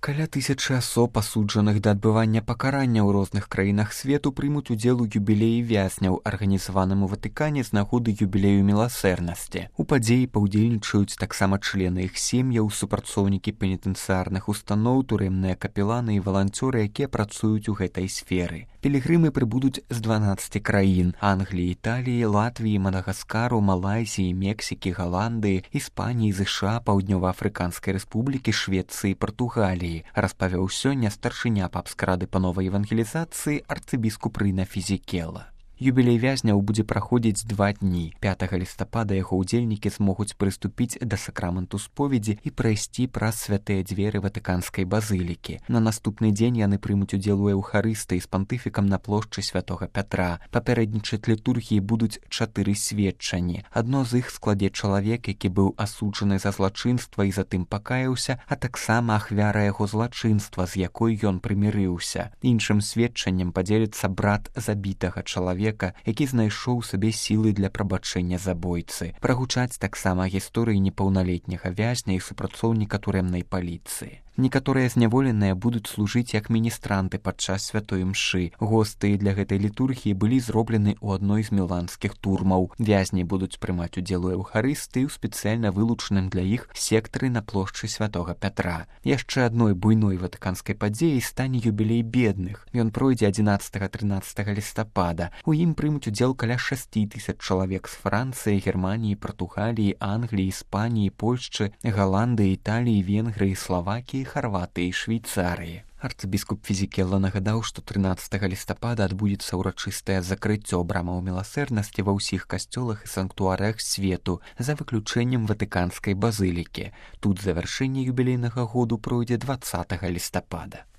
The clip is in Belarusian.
Каля 1000 асоб, асуджаных да адбывання пакарання ў розных краінах свету, прымуць удзел у юбілеі вязняў, арганізаваным у Ватыкане з нагоды юбілею міласэрнасці. У падзеі паўдзельнічаюць таксама члены іх сем'яў, супрацоўнікі пенітэнцыярных устаноў, турэмныя капеланы і валанцёры, якія працуюць у гэтай сферы. Пілігрымы прыбудуць з 12 краін: Англіі, Італіі, Латвіі, Мадагаскару, Малайзіі, Мексікі, Галандыі, Іспаніі, ЗША, Паўднёва-Афрыканскай рэспублікі, Швецыі, Партугаліі. Распавёў сёння старшыня папскай рады па новай евангелізацыі арцыбіскуп Рына Фізікела. Юбілей вязняў будзе праходзіць 2 дні. 5 лістапада яго ўдзельнікі змогуць прыступіць да сакраменту споведзі і прайсці праз святыя дзверы Ватыканскай базылікі. На наступны дзень яны прымуць удзел у эўхарыстыі з пантыфікам на плошчы святога Пятра. Папярэднічаць літургіі будуць 4 сведчанні. Адно з іх складзе чалавек, які быў асуджаны за злачынства і затым пакаяўся, а таксама ахвяра яго злачынства, з якой ён прымірыўся. Іншым сведчаннем падзеліцца брат забітага чалавека, які знайшоў сабе сілы для прабачэння забойцы. Прагучаць таксама гісторыі непаўналетняга вязня і супрацоўніка турэмнай паліцыі. Некаторыя зняволеныя будуць служыць як міністранты падчас святой імшы. Госты для гэтай літургіі былі зроблены ў адной з міланскіх турмаў. Вязні будуць прымаць удзел у эўхарыстыі ў спецыяльна вылучаным для іх сектары на плошчы святога Пятра. Яшчэ адной буйной ватыканскай падзеяй стане юбілей бедных. Ён пройдзе 11-13 лістапада. У ім прымуць удзел каля 6000 чалавек з Францыі, Германіі, Партугаліі, Англіі, Іспаніі, Польшчы, Галандыі, Італіі, Венгрыі, Славакіі, Харватыі і Швейцарыі. Арцыбіскуп Фізікела нагадаў, што 13 лістапада адбудзецца ўрачыстае закрыццё брамаў міласэрнасці ва ўсіх касцёлах і санктуарыях свету, за выключэннем Ватыканскай базылікі. Тут завяршэнне юбілейнага году пройдзе 20 лістапада.